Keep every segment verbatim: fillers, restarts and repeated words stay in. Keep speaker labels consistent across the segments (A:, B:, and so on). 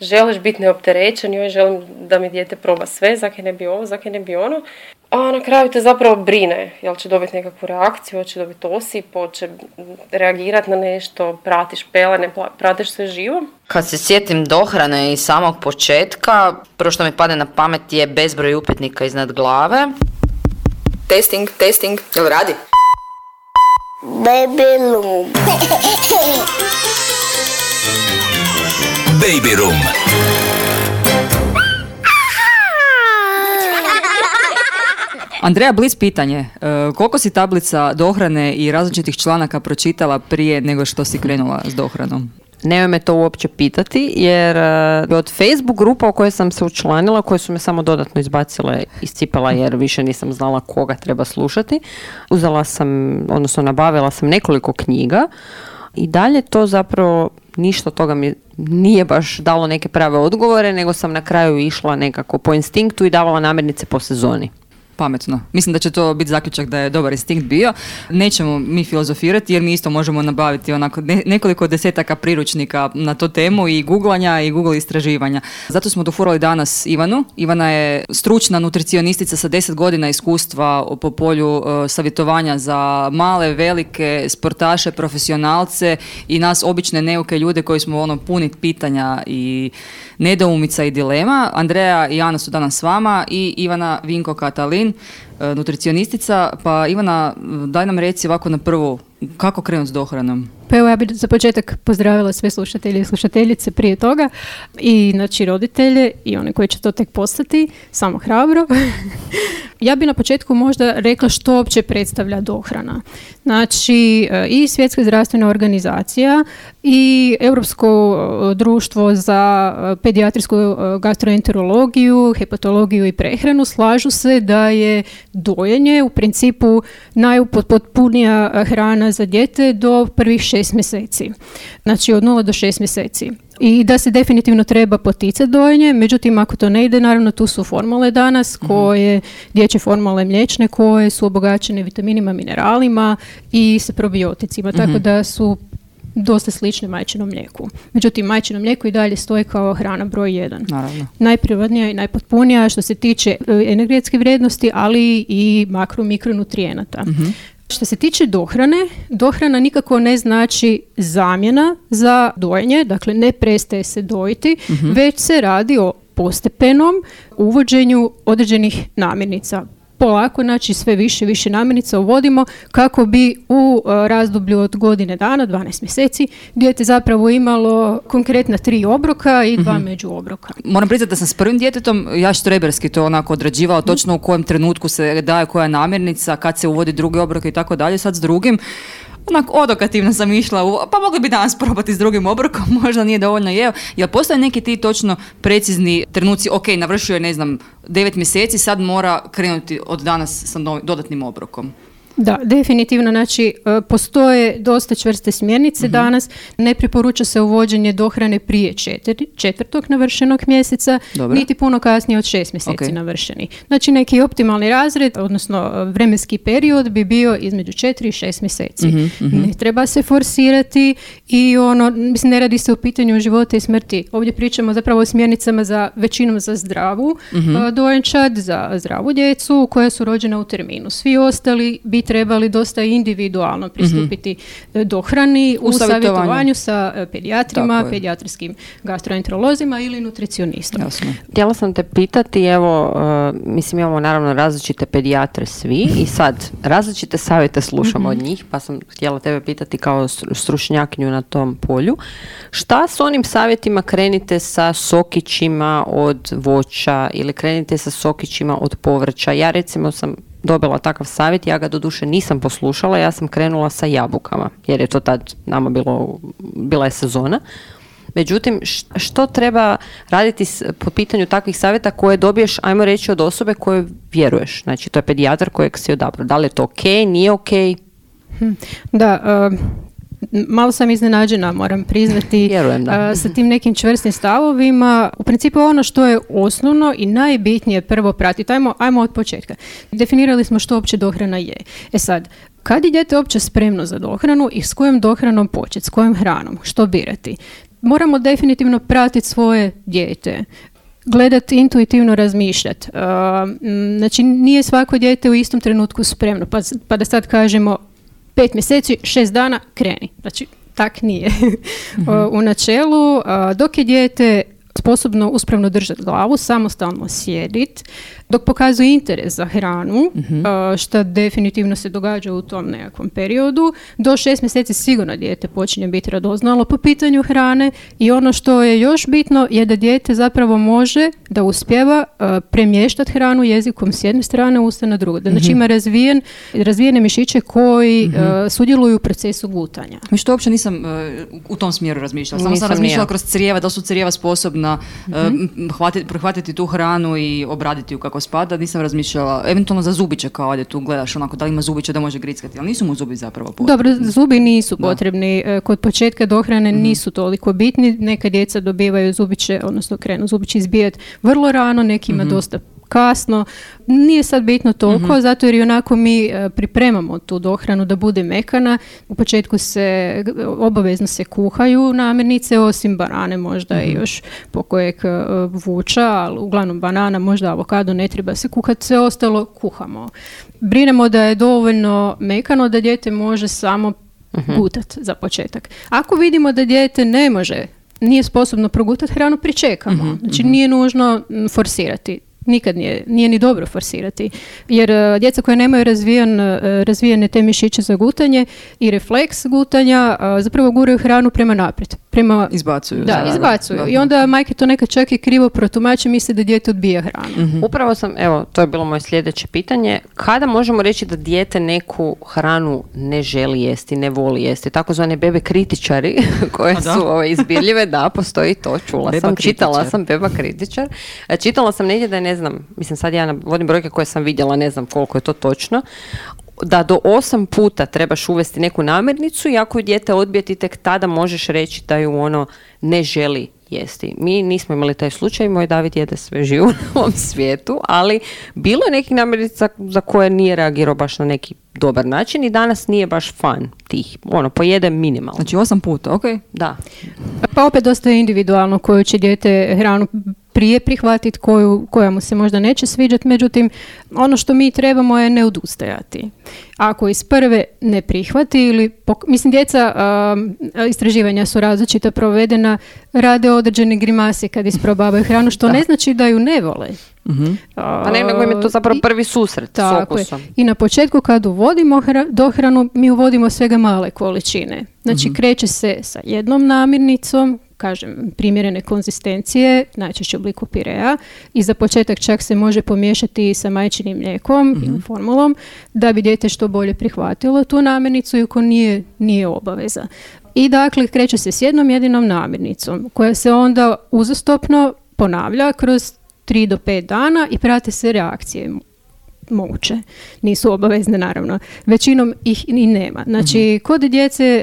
A: želiš biti neopterećen, joj želim da mi dijete proba sve, zakaj ne bi ovo, zakaj ne bi ono. A na kraju te zapravo brine, jel će dobiti nekakvu reakciju, hoće dobiti osip, hoće reagirati na nešto, pratiš pelene, pratiš sve živo.
B: Kad se sjetim dohrane i samog početka, prvo što mi padne na pamet je bezbroj upitnika iznad glave.
C: Testing, testing, jel radi?
D: Baby room.
E: Baby room.
F: Andreja Blic pitanje, e, koliko si tablica dohrane i različitih članaka pročitala prije nego što si krenula s dohranom?
G: Nemoj me to uopće pitati, jer uh, od Facebook grupa u kojoj sam se učlanila, koje su me samo dodatno izbacile, iscipala jer više nisam znala koga treba slušati, uzela sam, odnosno nabavila sam nekoliko knjiga i dalje to zapravo ništa toga mi nije baš dalo neke prave odgovore, nego sam na kraju išla nekako po instinktu i davala namirnice po sezoni.
F: Pametno. Mislim da će to biti zaključak da je dobar instinkt bio. Nećemo mi filozofirati jer mi isto možemo nabaviti onako ne, nekoliko desetaka priručnika na tu temu i googlanja i Google istraživanja. Zato smo dofurali danas Ivanu. Ivana je stručna nutricionistica sa deset godina iskustva po polju uh, savjetovanja za male, velike sportaše, profesionalce i nas obične neuke ljude koji smo ono puni pitanja i nedoumica i dilema. Andreja i Ana su danas s vama i Ivana Vinko Katalin, nutricionistica. Pa Ivana, daj nam reci ovako na prvu, kako krenuti s dohranom?
H: Pa evo, ja bih za početak pozdravila sve slušatelje i slušateljice prije toga i znači roditelje i one koji će to tek postati, samo hrabro. Ja bih na početku možda rekla što uopće predstavlja dohrana. Znači i Svjetska zdravstvena organizacija i Europsko društvo za pedijatrijsku gastroenterologiju, hepatologiju i prehranu slažu se da je dojenje u principu najpotpunija hrana za dijete do prvih šest mjeseci. Znači od nula do šest mjeseci. I da se definitivno treba poticati dojenje, međutim ako to ne ide, naravno tu su formule danas, koje, dječje formule mliječne, koje su obogaćene vitaminima, mineralima i sa probioticima, mm-hmm. tako da su dosta slične majčinom mlijeku. Međutim, majčino mlijeko i dalje stoji kao hrana broj jedan. Naravno. Najprirodnija i najpotpunija što se tiče energetske vrijednosti, ali i makro mikronutrijenata. Mm-hmm. Što se tiče dohrane, dohrana nikako ne znači zamjena za dojenje, dakle ne prestaje se dojiti, mm-hmm. već se radi o postepenom uvođenju određenih namirnica. Polako, znači sve više i više namirnica uvodimo kako bi u uh, razdoblju od godine dana, dvanaest mjeseci, dijete zapravo imalo konkretna tri obroka i dva mm-hmm. među obroka.
F: Moram priznati da sam s prvim djetetom ja štreberski to onako odrađivala, mm-hmm. točno u kojem trenutku se daje koja namirnica, kad se uvodi drugi obrok i tako dalje. Sad s drugim onako odokativno sam išla, u, pa mogli bi danas probati s drugim obrokom, možda nije dovoljno jeo. Jel postoje neki ti točno precizni trenuci, ok, navršio je, ne znam, devet mjeseci, sad mora krenuti od danas sa novi, dodatnim obrokom?
H: Da, definitivno, znači postoje dosta čvrste smjernice mm-hmm. danas, ne preporuča se uvođenje dohrane prije četiri, četvrtog navršenog mjeseca, Dobre. niti puno kasnije od šest mjeseci okay. navršeni. Znači neki optimalni razred, odnosno vremenski period bi bio između četiri i šest mjeseci. Mm-hmm, mm-hmm. Ne treba se forsirati i ono, mislim, ne radi se o pitanju života i smrti. Ovdje pričamo zapravo o smjernicama za većinom za zdravu mm-hmm. dojenčad, za zdravu djecu koja su rođena u terminu. Svi ostali bi trebali dosta individualno pristupiti mm-hmm. dohrani u, u savjetovanju sa pedijatrima, pedijatrijskim gastroenterolozima ili nutricionistom.
G: Jasno. Htjela sam te pitati, evo, uh, mislim imamo naravno različite pedijatre svi i sad različite savjete slušamo mm-hmm. od njih, pa sam htjela tebe pitati kao stručnjakinju na tom polju. Šta s onim savjetima, krenite sa sokićima od voća ili krenite sa sokićima od povrća? Ja recimo sam dobila takav savjet, ja ga doduše nisam poslušala, ja sam krenula sa jabukama, jer je to tad nama bilo, bila je sezona. Međutim, što treba raditi po pitanju takvih savjeta koje dobiješ, ajmo reći, od osobe koje vjeruješ? Znači, to je pedijatar kojeg si odabrao. Da li je to ok, nije ok?
H: Da, uh... malo sam iznenađena, moram priznati,
G: Vjerujem, da.
H: sa tim nekim čvrstim stavovima. U principu ono što je osnovno i najbitnije prvo pratiti. Ajmo, ajmo od početka. Definirali smo što uopće dohrana je. E sad, kad je dijete uopće spremno za dohranu i s kojom dohranom početi, s kojom hranom, što birati? moramo definitivno pratiti svoje dijete. Gledati, intuitivno razmišljati. Uh, znači, nije svako dijete u istom trenutku spremno. Pa, pa da sad kažemo pet mjeseci, šest dana, kreni. Znači, tak nije. Mm-hmm. uh, u načelu, uh, dok je dijete sposobno uspravno držati glavu, samostalno sjediti, dok pokazuje interes za hranu, mm-hmm. što definitivno se događa u tom nekakvom periodu, do šest mjeseci sigurno dijete počinje biti radoznalo po pitanju hrane i ono što je još bitno je da dijete zapravo može da uspijeva uh, premještati hranu jezikom s jedne strane, usta na drugu. Znači mm-hmm. ima razvijen, razvijene mišiće koji mm-hmm. uh, sudjeluju u procesu gutanja.
F: Mi što uopće nisam uh, u tom smjeru razmišljala. Samo
G: Nisam
F: sam razmišljala
G: ja.
F: kroz crijeva, da su crijeva sposobna mm-hmm. uh, hvatiti, prihvatiti tu hranu i obraditi ju kako spada. Nisam razmišljala, eventualno za zubiće, kao ovdje tu gledaš onako da li ima zubiće da može grickati, ali nisu mu zubi zapravo potrebni.
H: Dobro, zubi nisu potrebni. Da. Kod početka dohrane mm-hmm. nisu toliko bitni. Neka djeca dobivaju zubiće, odnosno krenu zubići izbijati vrlo rano, nekima mm-hmm. dosta kasno. Nije sad bitno toliko, mm-hmm. zato jer i onako mi uh, pripremamo tu dohranu da bude mekana. U početku se, obavezno se kuhaju namirnice, osim banane možda mm-hmm. i još pokojeg uh, vuča, ali uglavnom banana, možda avokado ne treba se kuhati, sve ostalo kuhamo. Brinemo da je dovoljno mekano da dijete može samo mm-hmm. gutati za početak. Ako vidimo da dijete ne može, nije sposobno progutati hranu, pričekamo. Mm-hmm. Znači nije nužno forsirati. Nikad nije, nije ni dobro forsirati. Jer uh, djeca koja nemaju razvijen, uh, razvijene te mišiće za gutanje i refleks gutanja uh, zapravo guraju hranu prema naprijed. Prema,
F: izbacuju.
H: Da,
F: da,
H: izbacuju.
F: Da.
H: I onda majke to nekad čak i krivo protumače, misle da dijete odbija hranu.
G: Mm-hmm. Upravo sam, evo, to je bilo moje sljedeće pitanje. Kada možemo reći da dijete neku hranu ne želi jesti, ne voli jesti? Takozvane bebe kritičari koje su ove, izbirljive, da, postoji to, čula
F: beba
G: sam,
F: kritičar.
G: čitala sam beba kritičar. Čitala sam negdje da je, ne znam, mislim sad ja navodim brojke koje sam vidjela, ne znam koliko je to točno, da do osam puta trebaš uvesti neku namirnicu i ako ju dijete odbije, ti tek tada možeš reći da ju ono ne želi jesti. Mi nismo imali taj slučaj, moj David jede sve živo na ovom svijetu, ali bilo je nekih namirnica za koje nije reagirao baš na neki dobar način i danas nije baš fan tih. Ono, pojede minimalno.
F: Znači osam puta, ok?
G: Da.
H: Pa opet dosta je individualno koju će dijete hranu prije prihvatiti, koju, koja mu se možda neće sviđati, međutim, ono što mi trebamo je ne odustajati. Ako iz prve ne prihvati ili, pok- mislim, djeca, um, istraživanja su različita provedena, rade određene grimase kad isprobavaju hranu, što da. ne znači da ju ne vole.
F: Mm-hmm.
G: Pa ne, nego im je to zapravo prvi susret s okusom.
H: I na početku kad uvodimo hra- dohranu, mi uvodimo svega male količine. Znači, mm-hmm. kreće se sa jednom namirnicom, kažem, primjerene konzistencije, najčešće u obliku pirea, i za početak čak se može pomiješati sa majčinim mlijekom mm-hmm. ili formulom, da bi dijete što bolje prihvatilo tu namirnicu, iako nije, nije obaveza. I dakle, kreće se s jednom jedinom namirnicom, koja se onda uzastopno ponavlja kroz tri do pet dana i prate se reakcije. Moguće. Nisu obavezne, naravno. Većinom ih i nema. Znači, mm-hmm. kod djece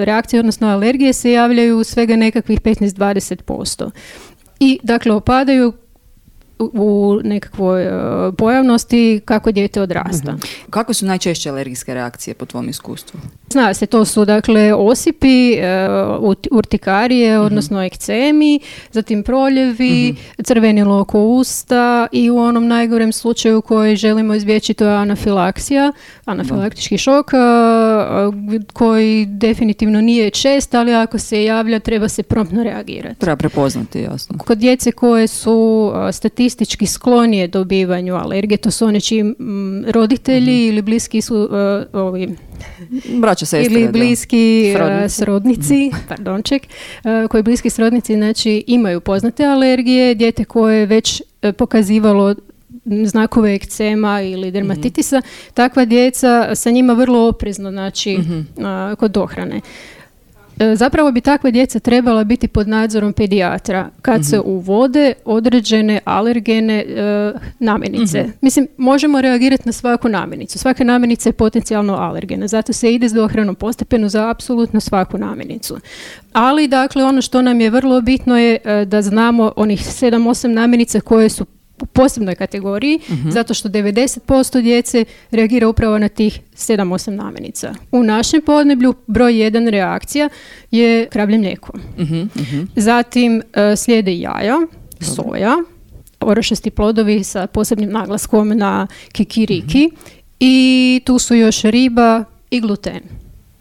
H: reakcije, odnosno alergije, se javljaju svega nekakvih petnaest do dvadeset posto. I, dakle, opadaju u nekakvoj uh, pojavnosti kako dijete odrasta.
F: Mm-hmm. Kako su najčešće alergijske reakcije po tvom iskustvu?
H: Zna se, to su dakle osipi, uh, urtikarije, mm-hmm. odnosno ekcemi, zatim proljevi, mm-hmm. crvenilo oko usta i u onom najgorem slučaju koji želimo izbjeći, to je anafilaksija, anafilaktički mm-hmm. šok, uh, koji definitivno nije čest, ali ako se javlja treba se promptno reagirati.
F: Treba prepoznati, jasno.
H: Kod djece koje su uh, statistički sklonije dobivanju alergije, to su one čiji m, roditelji mm-hmm. ili bliski su uh, ovi
F: braća, sestre,
H: ili bliski
G: da. Srodnici,
H: uh, srodnici mm-hmm. pardonček, uh, koji bliski srodnici znači imaju poznate alergije, dijete koje je već uh, pokazivalo znakove ekcema ili dermatitisa, mm-hmm. takva djeca, sa njima vrlo oprezno, znači mm-hmm. uh, kod dohrane. Zapravo bi takva djeca trebala biti pod nadzorom pedijatra kad mm-hmm. se uvode određene alergene e, namirnice. Mm-hmm. Mislim, možemo reagirati na svaku namirnicu. Svaka namirnica je potencijalno alergena, zato se ide s dohranom postepeno za apsolutno svaku namirnicu. Ali, dakle, ono što nam je vrlo bitno je e, da znamo onih sedam osam namirnica koje su u posebnoj kategoriji,
F: Mhm.
H: zato što devedeset posto djece reagira upravo na tih sedam osam namirnica. U našem podneblju broj jedan reakcija je kravlje mlijeko.
F: Mhm, mhm.
H: Zatim e, slijede jaja, soja, orašasti plodovi sa posebnim naglaskom na kikiriki i tu su još riba i gluten.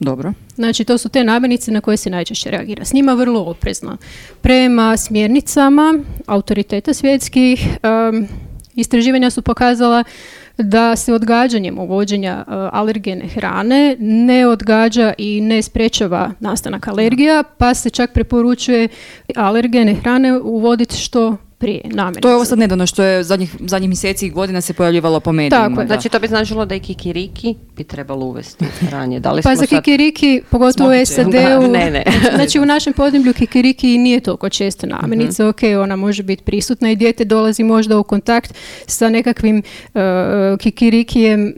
F: Dobro.
H: Znači, to su te namirnice na koje se najčešće reagira. S njima vrlo oprezno. Prema smjernicama autoriteta svjetskih, um, istraživanja su pokazala da se odgađanjem uvođenja uh, alergene hrane ne odgađa i ne sprečava nastanak alergija, pa se čak preporučuje alergene hrane uvoditi što prije namirnice.
F: To je ovo sad nedavno što je zadnjih, zadnjih mjeseci i godina se pojavljivalo po medijima.
H: Tako je.
F: da.
G: Znači to bi značilo da i kikiriki bi trebalo uvesti hranje. Da li
H: Pa
G: smo
H: za
G: sad...
H: kikiriki, pogotovo u
F: Smokice.
H: S A D-u,
G: Da, ne, ne.
H: znači u našem podneblju kikiriki nije toliko česta namirnica,
G: Mhm.
H: ok, ona može biti prisutna i dijete dolazi možda u kontakt sa nekakvim uh, kikirikijem m,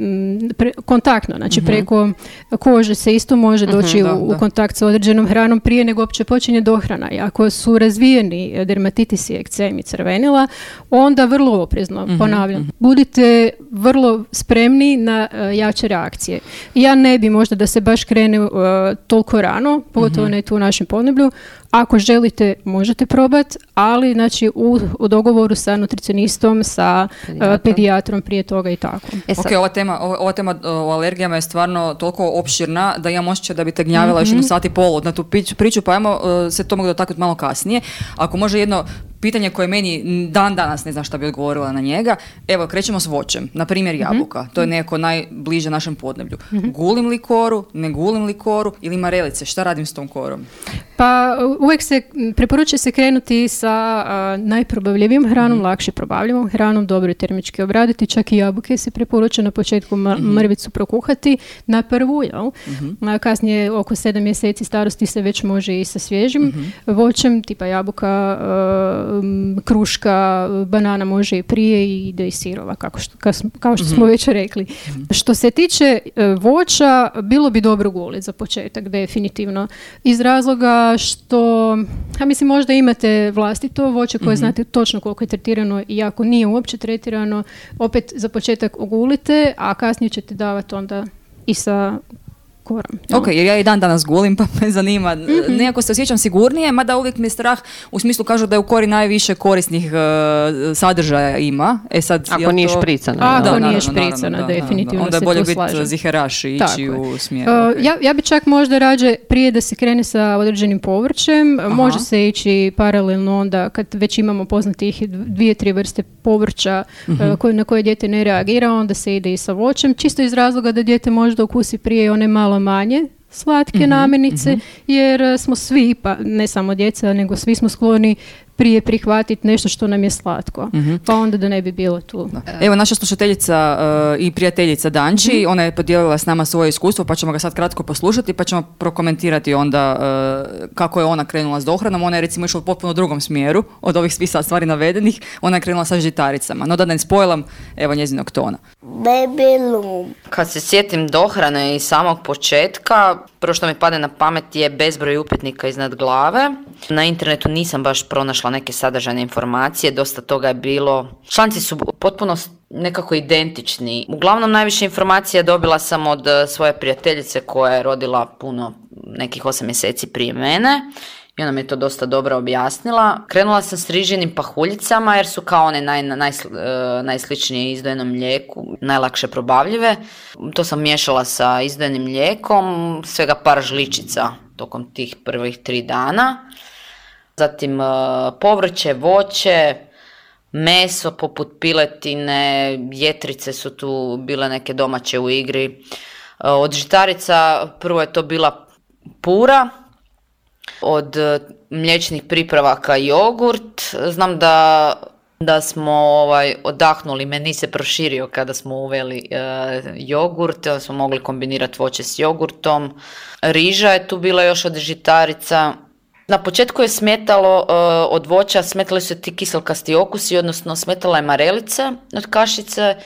H: pre- kontaktno, znači preko kože se isto može doći
F: da,
H: u, u
F: da.
H: kontakt sa određenom hranom prije nego uopće počinje dohrana. I ako su razvijeni eh, dermatitis i ekcem i crvenila, onda vrlo oprezno, ponavljam, budite vrlo spremni na eh, jače reakcije. Ja ne bi možda da se baš krene eh, toliko rano, pogotovo ne tu u našem podneblju. Ako želite, možete probati, ali znači u, u dogovoru sa nutricionistom, sa eh,
G: Pedijatrom.
H: pedijatrom prije toga i tako.
G: E sad,
F: Ok, ova tema, ova, ova tema o alergijama je stvarno toliko opširna da imam osjećaj da bi te gnjavila još jednu sat i pol na tu pić- priču, pa ajmo uh, se to mogu dotaknuti malo kasnije. Ako može jedno pitanje koje meni dan danas ne znam šta bi odgovorila na njega. Evo, krećemo s voćem. Na primjer jabuka. To je nekako najbliže našem podneblju. Gulim li koru, ne gulim li koru ili marelice? Šta radim s tom korom?
H: Pa uvijek se preporučuje se krenuti sa a, najprobavljivijom hranom, lakše probavljivom hranom, dobro je termički obraditi, čak i jabuke se preporučuje na početku ma- mrvicu prokuhati na prvu, jel? A kasnije oko sedam mjeseci starosti se već može i sa svježim voćem, tipa jabuka, a, m, kruška, banana može i prije i ide i sirova, kako što, kao, smo- kao što smo već rekli. Što se tiče e, voća, bilo bi dobro guliti za početak, definitivno. Iz razloga što, ja mislim, možda imate vlastito voće koje znate točno koliko je tretirano i ako nije uopće tretirano, opet za početak ogulite, a kasnije ćete davati onda i sa korom. jel?
F: Ok, jer ja i dan danas gulim, pa me zanima. Nekako se osjećam sigurnije, mada uvijek mi je strah, u smislu kažu da je u kori najviše korisnih uh, sadržaja ima. E sad,
G: ako
F: jel
G: nije
F: to-
G: špricano.
H: Ako
G: jel?
H: nije
F: naravno,
H: špricana,
F: naravno, da,
H: definitivno
F: Onda je
H: se
F: bolje
H: tu
F: biti
H: slažem.
F: ziheraš i
H: Tako
F: ići
H: je.
F: u smjeru.
H: Uh,
F: ok.
H: ja, ja bi čak možda rađe prije da se krene sa određenim povrćem, može se ići paralelno onda kad već imamo poznatih dvije, tri vrste povrća uh, koje, na koje dijete ne reagira, onda se ide i sa voćem, čisto iz razloga da dijete možda ukusi prije one malo manje slatke namirnice, jer uh, smo svi, pa ne samo djeca, nego svi smo skloni prije prihvatiti nešto što nam je slatko. Pa onda da ne bi bilo tu.
F: Evo, naša slušateljica uh, i prijateljica Danči, ona je podijelila s nama svoje iskustvo, pa ćemo ga sad kratko poslušati, pa ćemo prokomentirati onda uh, kako je ona krenula s dohranom. Ona je recimo išla u potpuno drugom smjeru od ovih svih sad stvari navedenih. Ona je krenula sa žitaricama. No da ne spojlam, evo njezinog tona.
B: Kad se sjetim dohrane i samog početka, prvo što mi pade na pamet je bezbroj upitnika iznad glave. Na internetu nisam baš pronašla neke sadržajne informacije, dosta toga je bilo. Članci su potpuno s- nekako identični. Uglavnom najviše informacija dobila sam od eh, svoje prijateljice koja je rodila puno, nekih osam mjeseci prije mene. I ona mi je to dosta dobro objasnila. Krenula sam s rižinim pahuljicama jer su kao one naj, najsl- e, najsličnije izdojenom mlijeku, najlakše probavljive. To sam miješala sa izdojenim mlijekom, svega par žličica tokom tih prvih tri dana. Zatim e, povrće, voće, meso poput piletine, jetrice su tu bile neke domaće u igri. E, Od žitarica prvo je to bila pura, od e, mliječnih pripravaka jogurt. Znam da, da smo ovaj, odahnuli, meni se proširio kada smo uveli e, jogurt, da smo mogli kombinirati voće s jogurtom. Riža je tu bila još od žitarica. Na početku je smetalo e, od voća, smetali su ti kiselkasti okusi, odnosno smetala je marelica od kašice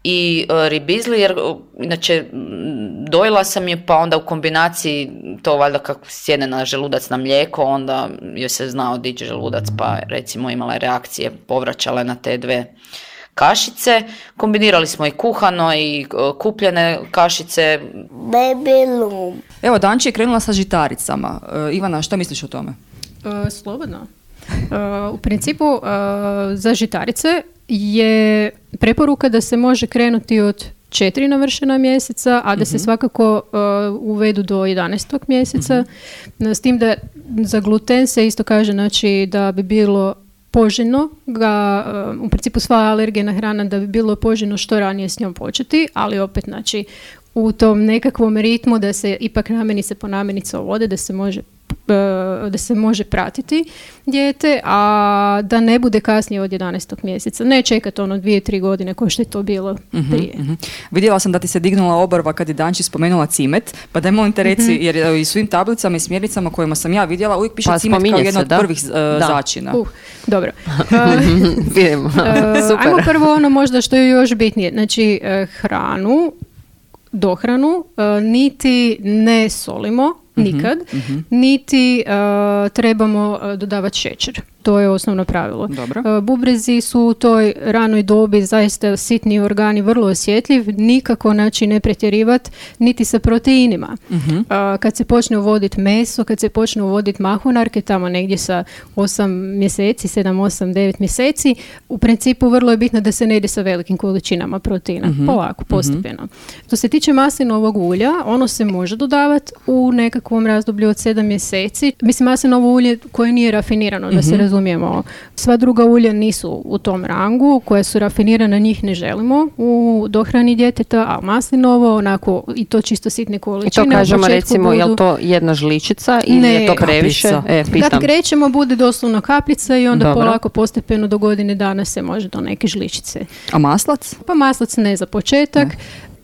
B: i uh, ribizli, jer uh, inače dojela sam je, pa onda u kombinaciji to valjda kako sjedne na želudac na mlijeko, onda joj se zna odići želudac, pa recimo imala je reakcije, povraćala na te dve kašice. Kombinirali smo i kuhano i uh, kupljene kašice.
D: Baby loom.
F: Evo, Danči je krenula sa žitaricama. Uh, Ivana, što misliš o tome?
H: Uh, slobodno. Uh, u principu uh, za žitarice je preporuka da se može krenuti od četiri navršena mjeseca, a da se svakako uh, uvedu do jedanaestog mjeseca. Mm-hmm. S tim da za gluten se isto kaže, znači, da bi bilo poželjno ga, uh, u principu sva alergena hrana, da bi bilo poželjno što ranije s njom početi, ali opet, znači, u tom nekakvom ritmu da se ipak namirnice po namirnice uvode, da se može da se može pratiti dijete, a da ne bude kasnije od jedanaestog mjeseca. Ne čekati ono dvije, tri godine kao što je to bilo
F: mm-hmm,
H: prije.
F: Mm-hmm. Vidjela sam da ti se dignula obrva kad je Danči spomenula cimet, pa daj molim te reci, mm-hmm. jer i svim tablicama i smjernicama kojima sam ja vidjela uvijek piše
G: pa,
F: cimet kao jedna od
G: da?
F: prvih uh, začina.
H: Uh, dobro.
G: Vidimo.
H: Uh, ajmo prvo ono možda što je još bitnije. Znači, uh, hranu, dohranu, uh, niti ne solimo, nikad, mm-hmm. niti uh, trebamo uh, dodavati šećer. To je osnovno pravilo. Uh, bubrezi su u toj ranoj dobi zaista sitni organi, vrlo osjetljiv, nikako, znači, ne pretjerivati niti sa proteinima. Mm-hmm. Uh, kad se počne uvoditi meso, kad se počne uvoditi mahunarke, tamo negdje sa osam mjeseci, sedam, osam, devet mjeseci, u principu vrlo je bitno da se ne ide sa velikim količinama proteina. Mm-hmm. Polako, postepeno. Mm-hmm. Što se tiče maslinovog ulja, ono se može dodavati u nekakvom razdoblju od sedam mjeseci. Mislim, maslinovo ulje koje nije rafinirano, mm-hmm. da se razumijemo. Sva druga ulja nisu u tom rangu, koja su rafinirana, njih ne želimo u dohrani djeteta, a maslinovo, onako, i to čisto sitne količine.
G: I to kažemo, recimo, budu... je li to jedna žličica ili ne, je to previše? E,
H: kad krećemo, bude doslovno kapljica i onda Dobro. polako, postepeno do godine dana se može do neke žličice.
F: A maslac?
H: Pa maslac ne za početak. Ne.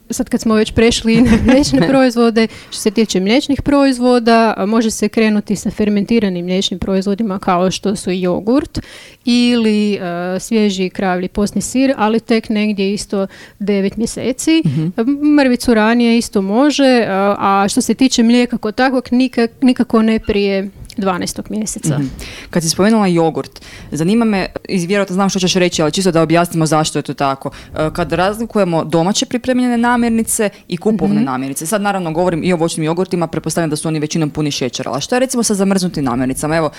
H: Sad kad smo već prešli na mliječne proizvode, što se tiče mliječnih proizvoda, može se krenuti sa fermentiranim mliječnim proizvodima kao što su jogurt ili uh, svježi kravlji postni sir, ali tek negdje isto devet mjeseci. Mm-hmm. Mrvicu ranije isto može, uh, a što se tiče mlijeka kod takvog nikak, nikako ne prije dvanaestog mjeseca.
F: Mm-hmm. Kad si spomenula jogurt, zanima me, i vjerojatno znam što ćeš reći, ali čisto da objasnimo zašto je to tako. Kad razlikujemo domaće pripremljene namirnice i kupovne mm-hmm. namirnice, sad naravno govorim i o voćnim jogurtima, pretpostavljam da su oni većinom puni šećera, ali što je recimo sa zamrznutim namirnicama? Evo,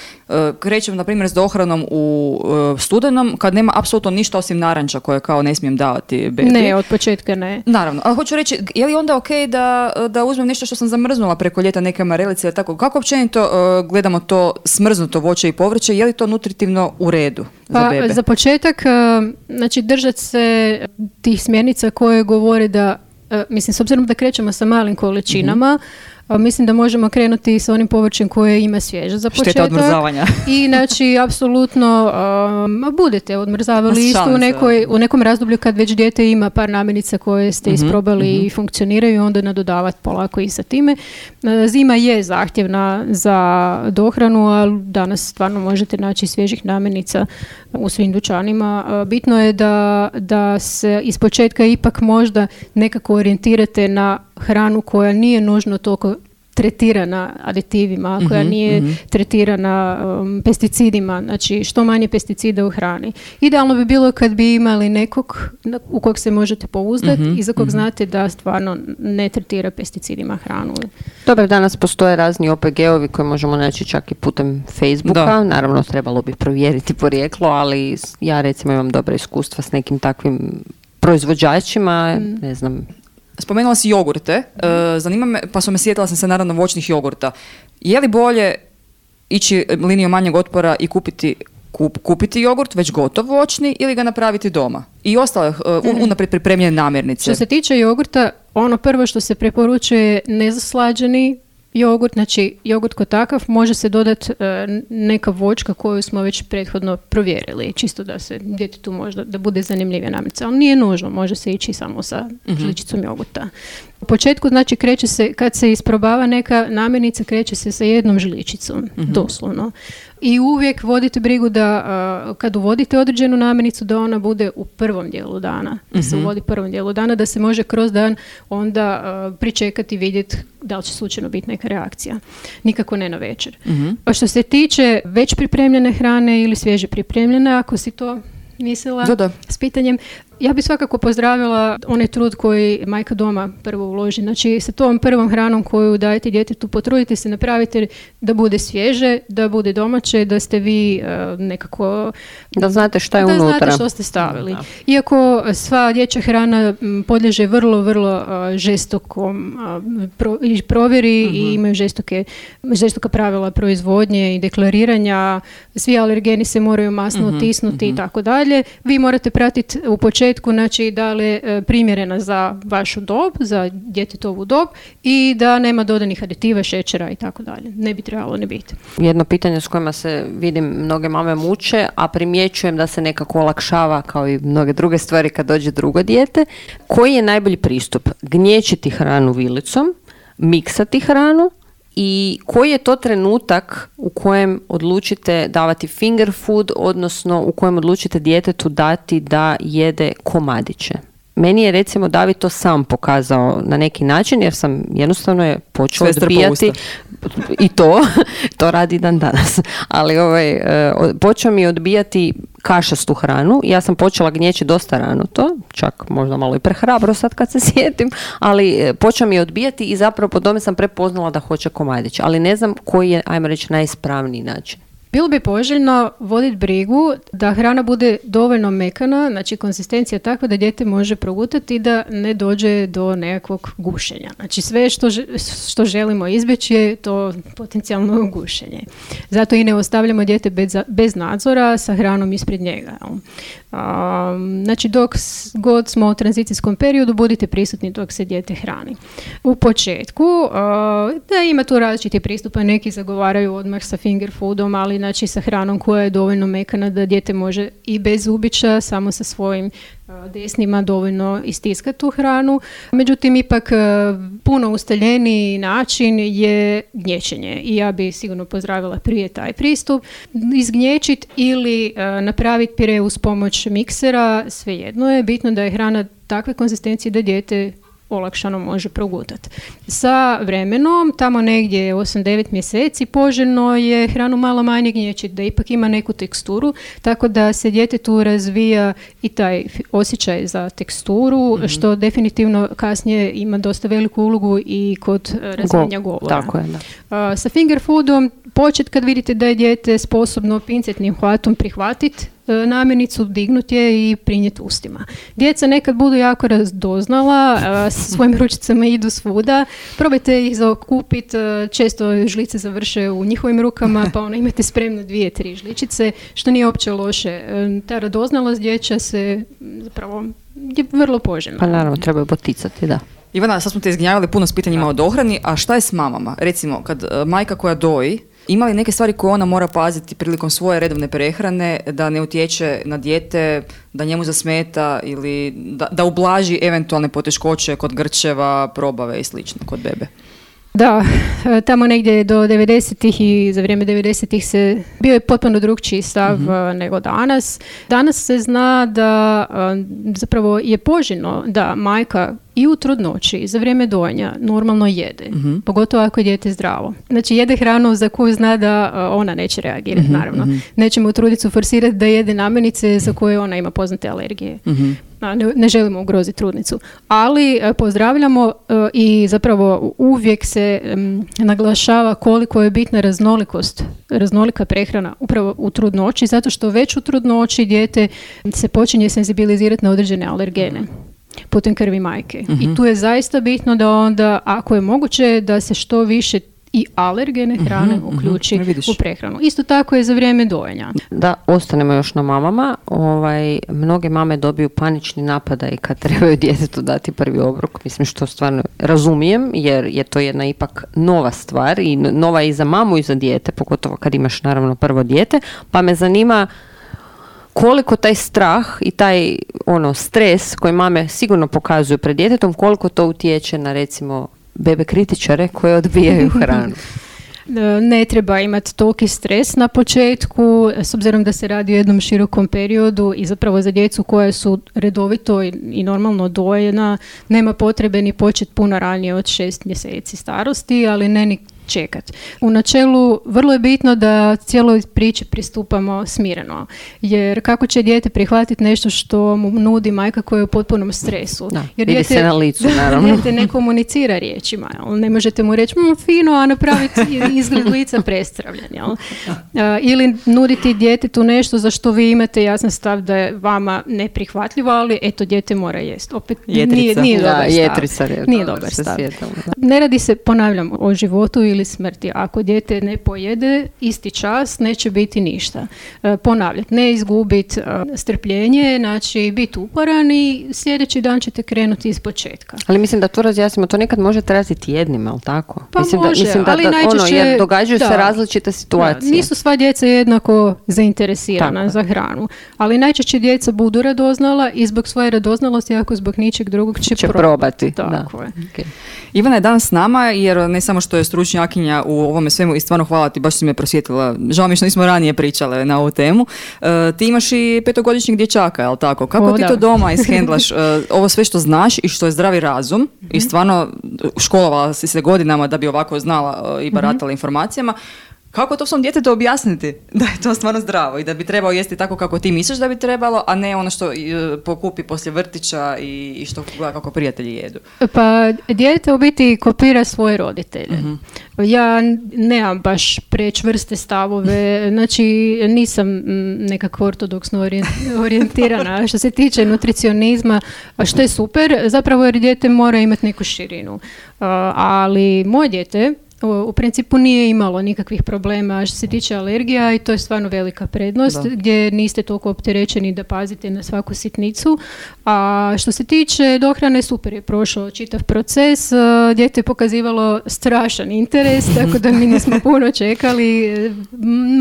F: krećem na primjer s dohranom u studenom, kad nema apsolutno ništa osim naranča koje kao ne smijem davati bebi.
H: Ne, od početka ne.
F: Naravno, ali hoću reći, je li onda ok da, da uzmem nešto što sam zamrznula preko ljeta, neke marelice ili tako? Kako općenito uh, gledamo to smrznuto voće i povrće, je li to nutritivno u redu za
H: pa,
F: bebe?
H: Za početak, znači držati se tih smjernica koje govore da, mislim, s obzirom da krećemo sa malim količinama, mm-hmm. mislim da možemo krenuti sa onim povrćem koje ima svježe za početak.
F: Šteta odmrzavanja.
H: I znači, apsolutno um, budete odmrzavali isto u, nekoj, u nekom razdoblju kad već dijete ima par namirnica koje ste mm-hmm, isprobali mm-hmm. i funkcioniraju, onda nadodavati polako i sa time. Zima je zahtjevna za dohranu, ali danas stvarno možete naći svježih namirnica u svim dućanima. Bitno je da, da se ispočetka ipak možda nekako orijentirate na hranu koja nije nužno toliko tretirana aditivima, koja mm-hmm, nije mm-hmm. tretirana um, pesticidima, znači što manje pesticida u hrani. Idealno bi bilo kad bi imali nekog u kog se možete pouzdati mm-hmm, i za kog mm-hmm. znate da stvarno ne tretira pesticidima hranu.
G: Dobro, danas postoje razni O P G-ovi koje možemo naći čak i putem Facebooka. Da. Naravno, trebalo bi provjeriti porijeklo, ali ja recimo imam dobra iskustva s nekim takvim proizvođačima, mm. ne znam.
F: Spomenula si jogurte, uh, zanima me, pa su me sjetila sam se naravno voćnih jogurta. Je li bolje ići linijom manjeg otpora i kupiti, kup, kupiti jogurt već gotov voćni ili ga napraviti doma? I ostale uh, unaprijed pripremljene namirnice.
H: Što se tiče jogurta, ono prvo što se preporučuje je nezaslađeni jogurt, znači jogurt kao takav može se dodati uh, neka voćka koju smo već prethodno provjerili, čisto da se djetetu možda da bude zanimljivija namirnica. Ali nije nužno, može se ići samo sa mm-hmm. žličicom jogurta. U početku, znači, kreće se, kad se isprobava neka namirnica, kreće se sa jednom žličicom, mm-hmm. doslovno. I uvijek vodite brigu da uh, kad uvodite određenu namirnicu da ona bude u prvom dijelu dana. Da se uvodi u prvom dijelu dana, da se može kroz dan onda uh, pričekati i vidjeti da li će slučajno biti neka reakcija. Nikako ne na večer.
F: Mm-hmm.
H: A što se tiče već pripremljene hrane ili svježe pripremljene, ako si to mislila
F: da, da.
H: s pitanjem, ja bih svakako pozdravila onaj trud koji majka doma prvo uloži. Znači, sa tom prvom hranom koju dajete djetetu, potrudite se, napravite da bude svježe, da bude domaće, da ste vi uh, nekako...
G: Da znate šta je
H: da
G: unutra.
H: Da znate što ste stavili.
G: Da.
H: Iako sva dječja hrana m, podliježe vrlo, vrlo uh, žestokom uh, pro, i provjeri uh-huh. i imaju žestoke, žestoka pravila proizvodnje i deklariranja. Svi alergeni se moraju masno
F: uh-huh.
H: otisnuti
F: uh-huh.
H: i tako dalje. Vi morate pratiti u početku znači da li je primjerena za vašu dob, za djetetovu dob i da nema dodanih aditiva, šećera i tako dalje. Ne bi trebalo ne biti.
G: Jedno pitanje s kojima se vidim mnoge mame muče, a primjećujem da se nekako olakšava kao i mnoge druge stvari kad dođe drugo dijete. Koji je najbolji pristup? Gnječiti hranu vilicom, miksati hranu i koji je to trenutak u kojem odlučite davati finger food, odnosno u kojem odlučite djetetu dati da jede komadiće? Meni je recimo David to sam pokazao na neki način jer sam jednostavno je počela odbijati i to, to radi dan danas, ali ovaj, počeo mi odbijati kašastu hranu. Ja sam počela gnjeći dosta rano to, čak možda malo i prehrabro sad kad se sjetim, ali počeo mi odbijati i zapravo po tome sam prepoznala da hoće komadić, ali ne znam koji je, ajmo reći, najispravniji način.
H: Bilo bi poželjno voditi brigu da hrana bude dovoljno mekana, znači konzistencija takva da dijete može progutati i da ne dođe do nekakvog gušenja. Znači sve što, što želimo izbjeći je to potencijalno gušenje. Zato i ne ostavljamo dijete bez, bez nadzora sa hranom ispred njega. Um, znači dok god smo u tranzicijskom periodu budite prisutni dok se dijete hrani. U početku uh, da ima tu različiti pristupa, neki zagovaraju odmah sa finger foodom, ali znači sa hranom koja je dovoljno mekana da dijete može i bez zubića, samo sa svojim uh, desnima dovoljno istiskati tu hranu. Međutim, ipak uh, puno ustaljeniji način je gnječenje i ja bi sigurno pozdravila prije taj pristup. Izgnječiti ili uh, napraviti pire uz pomoć miksera, svejedno je, bitno da je hrana takve konzistencije da dijete olakšano može progutati. Sa vremenom, tamo negdje osam devet mjeseci, poželjno je hranu malo manje gnječiti, da ipak ima neku teksturu, tako da se djetetu razvija i taj osjećaj za teksturu, mm-hmm. što definitivno kasnije ima dosta veliku ulogu i kod razvijenja
G: Go,
H: govora.
G: Tako je, da.
H: Uh, sa finger foodom počet kad vidite da je dijete sposobno pincetnim hvatom prihvatiti namirnicu, dignuti je i prinijeti ustima. Djeca nekad budu jako razdoznala, s svojim ručicama idu svuda, probajte ih zaokupiti, često žlice završe u njihovim rukama, pa ono imate spremno dvije, tri žličice, što nije uopće loše. Ta radoznalost dječja se zapravo je vrlo poželjna.
G: Pa naravno, treba je poticati, da.
F: Ivana, sad smo te izgnjavili puno s pitanjima o dohrani, a šta je s mamama? Recimo, kad uh, majka koja doji, ima li neke stvari koje ona mora paziti prilikom svoje redovne prehrane da ne utječe na dijete, da njemu zasmeta ili da, da ublaži eventualne poteškoće kod grčeva, probave i slično kod bebe?
H: Da, tamo negdje do devedesetih i za vrijeme devedesetih se bio je potpuno drugčiji stav mm-hmm. nego danas. Danas se zna da zapravo je poželjno da majka i u trudnoći za vrijeme dojenja normalno jede, mm-hmm. pogotovo ako je dijete zdravo. Znači jede hranu za koju zna da ona neće reagirati, mm-hmm. naravno. Mm-hmm. Nećemo trudicu forsirati da jede namirnice za koje ona ima poznate alergije. Mm-hmm. Ne, ne želimo ugroziti trudnicu. Ali pozdravljamo i zapravo uvijek se um, naglašava koliko je bitna raznolikost, raznolika prehrana upravo u trudnoći, zato što već u trudnoći dijete se počinje senzibilizirati na određene alergene putem krvi majke. Mm-hmm. I tu je zaista bitno da onda, ako je moguće, da se što više i alergene hrane mm-hmm, uključi mm-hmm, u prehranu. Isto tako je za vrijeme dojenja.
G: Da, ostanemo još na mamama. Ovaj, mnoge mame dobiju panični napadaj kad trebaju djetetu dati prvi obrok. Mislim što stvarno razumijem, jer je to jedna ipak nova stvar i nova i za mamu i za dijete, pogotovo kad imaš naravno prvo dijete. Pa me zanima koliko taj strah i taj ono stres koji mame sigurno pokazuju pred djetetom, koliko to utječe na recimo bebe kritičare koje odbijaju hranu.
H: Ne treba imati toliki stres na početku, s obzirom da se radi o jednom širokom periodu i zapravo za djecu koja su redovito i, i normalno dojena, nema potrebe ni početi puno ranije od šest mjeseci starosti, ali ne ni čekat. U načelu vrlo je bitno da cijeloj priči pristupamo smireno, jer kako će dijete prihvatiti nešto što mu nudi majka koja je u potpunom stresu?
G: Da,
H: jer
G: vidi
H: dijete,
G: se na licu, naravno.
H: Dijete ne komunicira riječima, jel? Ne možete mu reći mm, fino, a napraviti izgled lica prestravljen. Jel? Uh, ili nuditi djetetu nešto za što vi imate jasan stav da je vama neprihvatljivo, ali eto, dijete mora jest. Opet
F: Jetrica.
H: nije, nije
G: Da,
H: dobar stav.
G: jetrica,
H: Nije
G: dobro,
H: dobar
G: se
H: stav.
G: sjetam, da.
H: Ne radi se, ponavljam, o životu ili smrti. Ako dijete ne pojede isti čas, neće biti ništa. E, ponavljati, ne izgubiti e, strpljenje, znači biti uporan i sljedeći dan ćete krenuti iz početka.
G: Ali mislim da to razjasnimo, to nekad može trajati tjednima, ali tako?
H: Pa
G: mislim
H: može,
G: da, mislim da,
H: ali
G: da, ono,
H: najčešće-
G: jer događaju
H: da.
G: se različite situacije.
H: Da, nisu sva djeca jednako zainteresirana
G: Tako.
H: za hranu, ali najčešće djeca budu radoznala i zbog svoje radoznalosti, ako zbog ničeg drugog će,
G: Će
H: probati.
G: probati,
H: Tako
G: da.
H: je.
G: Okay.
F: Ivana je danas s nama jer ne samo što je stručnjakinja u ovome svemu i stvarno hvala ti, baš si me prosvjetila. Žao mi je što nismo ranije pričale na ovu temu. E, ti imaš i petogodišnjeg dječaka, jel tako? Kako
H: O,
F: ti
H: da.
F: to doma ishendlaš? E, ovo sve što znaš i što je zdravi razum i stvarno školovala si se godinama da bi ovako znala e, i baratala informacijama. Kako to svom djetetu objasniti da je to stvarno zdravo i da bi trebao jesti tako kako ti misliš da bi trebalo, a ne ono što e, pokupi poslije vrtića i, i što gleda kako prijatelji jedu?
H: Pa dijete u biti kopira svoje roditelje. Ja nemam baš prečvrste stavove, znači nisam mm, nekako ortodoksno orient- orijentirana što se tiče nutricionizma, a što je super, zapravo jer dijete mora imati neku širinu. Uh, ali moje dijete u, u principu nije imalo nikakvih problema što se tiče alergija i to je stvarno velika prednost
F: Da.
H: gdje niste toliko opterećeni da pazite na svaku sitnicu. A što se tiče dohrane, super je prošao čitav proces. Uh, Dijete je pokazivalo strašan interes, tako da mi nismo puno čekali.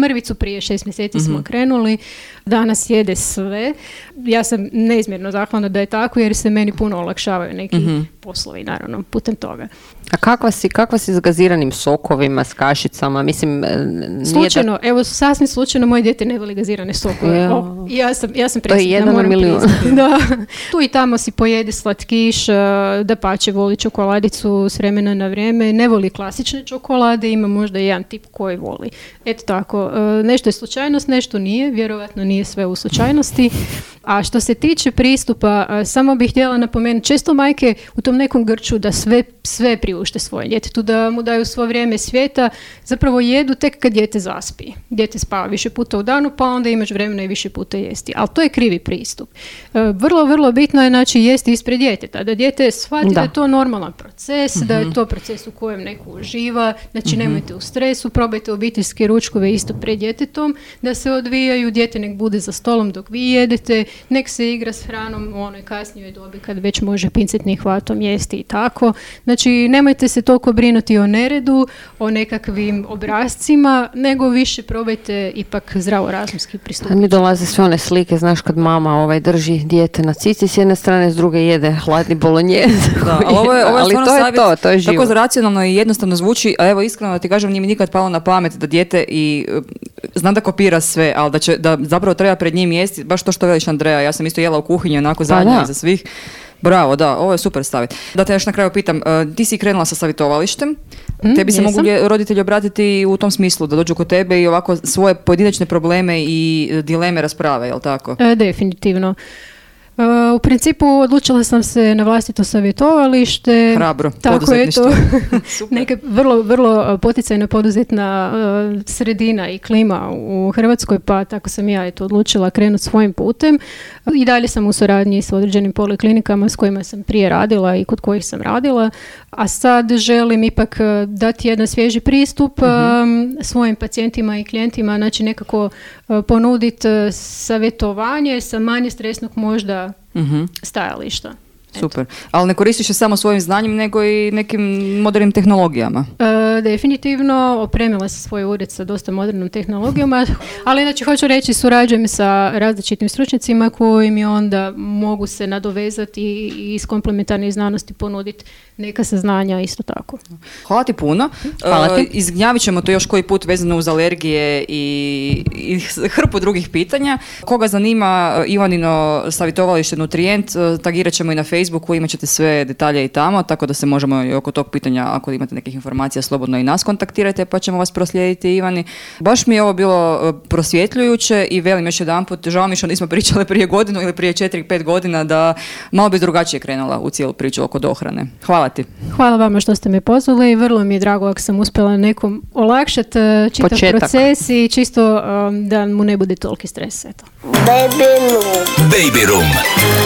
H: Mrvicu prije šest mjeseci smo krenuli. Danas jede sve. Ja sam neizmjerno zahvalna da je tako jer se meni puno olakšavaju neki poslovi, naravno, putem toga.
G: A kakva si, kakva si s gaziranim sokovima, s kašicama? Mislim, e, nije
H: Slučajno, evo sasvim slučajno moje dijete ne voli gazirane sokove.
G: Ja.
H: O, ja sam, ja sam
G: To je
H: presretna,
G: jedan na
H: moram
G: milijun.
H: priznati. Da. Tu i tamo si pojede slatkiš, dapače voli čokoladicu s vremena na vrijeme, ne voli klasične čokolade, ima možda jedan tip koji voli. Eto tako, e, nešto je slučajnost, nešto nije, vjerojatno nije sve u slučajnosti. A što se tiče pristupa, a, samo bih htjela napomenuti, često majke u tom nekom grču da sve, sve priušte svoje djetetu, da mu daju svo vrijeme svijeta, zapravo jedu tek kad dijete zaspi. Dijete spava više puta u danu, pa onda imaš vremena i više puta jesti. Ali to je krivi pristup. E, vrlo, vrlo bitno je znači jesti ispred djeteta, da dijete shvati da.
G: Da.
H: je to normalan proces, da je to proces u kojem neko uživa, znači nemojte u stresu, probajte obiteljske ručkove isto pred djetetom, da se odvijaju, dijete nek bude za stolom dok vi jedete, nek se igra s hranom u onoj kasnijoj dobi kad već može pincetnim hvatom jesti i tako. Znači, nemojte se toliko brinuti o neredu, o nekakvim obrascima, nego više probajte ipak zdravorazumski
G: A
H: pristupiti.
G: mi dolaze sve one slike, znaš, kad mama ovaj drži dijete na cici s jedne strane, s druge jede hladni bolonjez.
F: Da, ali ovo je, ovo je
G: Ali
F: stvarno
G: to je
F: savjet,
G: to, to je život.
F: tako racionalno i jednostavno zvuči, a evo iskreno da ti kažem, nije mi nikad palo na pamet da dijete i e, zna da kopira sve, ali da, će, da zapravo treba pred njim jesti, baš to što veliš Andreja, ja sam isto jela u kuhinji onako zadnja
G: da.
F: iza svih. Bravo, da, ovo je super savjet. Da te još na kraju pitam, e, ti si krenula sa savjetovalištem,
H: Mm,
F: tebi se
H: jesam.
F: mogu lje- roditelji obratiti u tom smislu, da dođu kod tebe i ovako svoje pojedinačne probleme i e, dileme rasprave, jel tako?
H: E, definitivno. E, u principu odlučila sam se na vlastito savjetovalište.
F: Hrabro,
H: Tako je to.
F: poduzetništvo. Super.
H: Neka vrlo, vrlo poticajna poduzetna e, sredina i klima u Hrvatskoj, pa tako sam ja eto odlučila krenuti svojim putem. I dalje sam u suradnji s određenim poliklinikama s kojima sam prije radila i kod kojih sam radila, a sad želim ipak e, dati jedan svježi pristup e, svojim pacijentima i klijentima, znači nekako e, ponuditi e, savjetovanje sa manje stresnog možda
F: Mhm.
H: stajališta.
F: Super. Ali ne koristiš je samo svojim znanjem, nego i nekim modernim tehnologijama.
H: E, definitivno, opremila sam svoj ured sa dosta modernom tehnologijom, ali inače hoću reći, surađujem sa različitim stručnjacima koji mi onda mogu se nadovezati i iz komplementarnih znanosti ponuditi neka saznanja isto tako.
F: Hvala ti puno.
G: Hvala ti.
F: Uh, izgnjavit ćemo to još koji put vezano uz alergije i, i hrpu drugih pitanja. Koga zanima Ivanino savjetovalište Nutrijent, tagirat ćemo i na Facebooku, imat ćete sve detalje i tamo, tako da se možemo i oko tog pitanja, ako imate nekih informacija, slobodno i nas kontaktirajte, pa ćemo vas proslijediti, Ivani. Baš mi je ovo bilo prosvjetljujuće i velim još jedanput, žao mi što nismo pričale prije godinu ili prije četiri pet godina, da malo bi drugačije krenula u cijelu priču oko dohrane. Hvala ti.
H: Hvala vama što ste me pozvali i vrlo mi je drago ako sam uspjela nekom olakšati uh, čitav
G: Početak.
H: proces i čisto um, da mu ne bude toliki stres. Eto.
D: Baby Room.
E: Baby Room.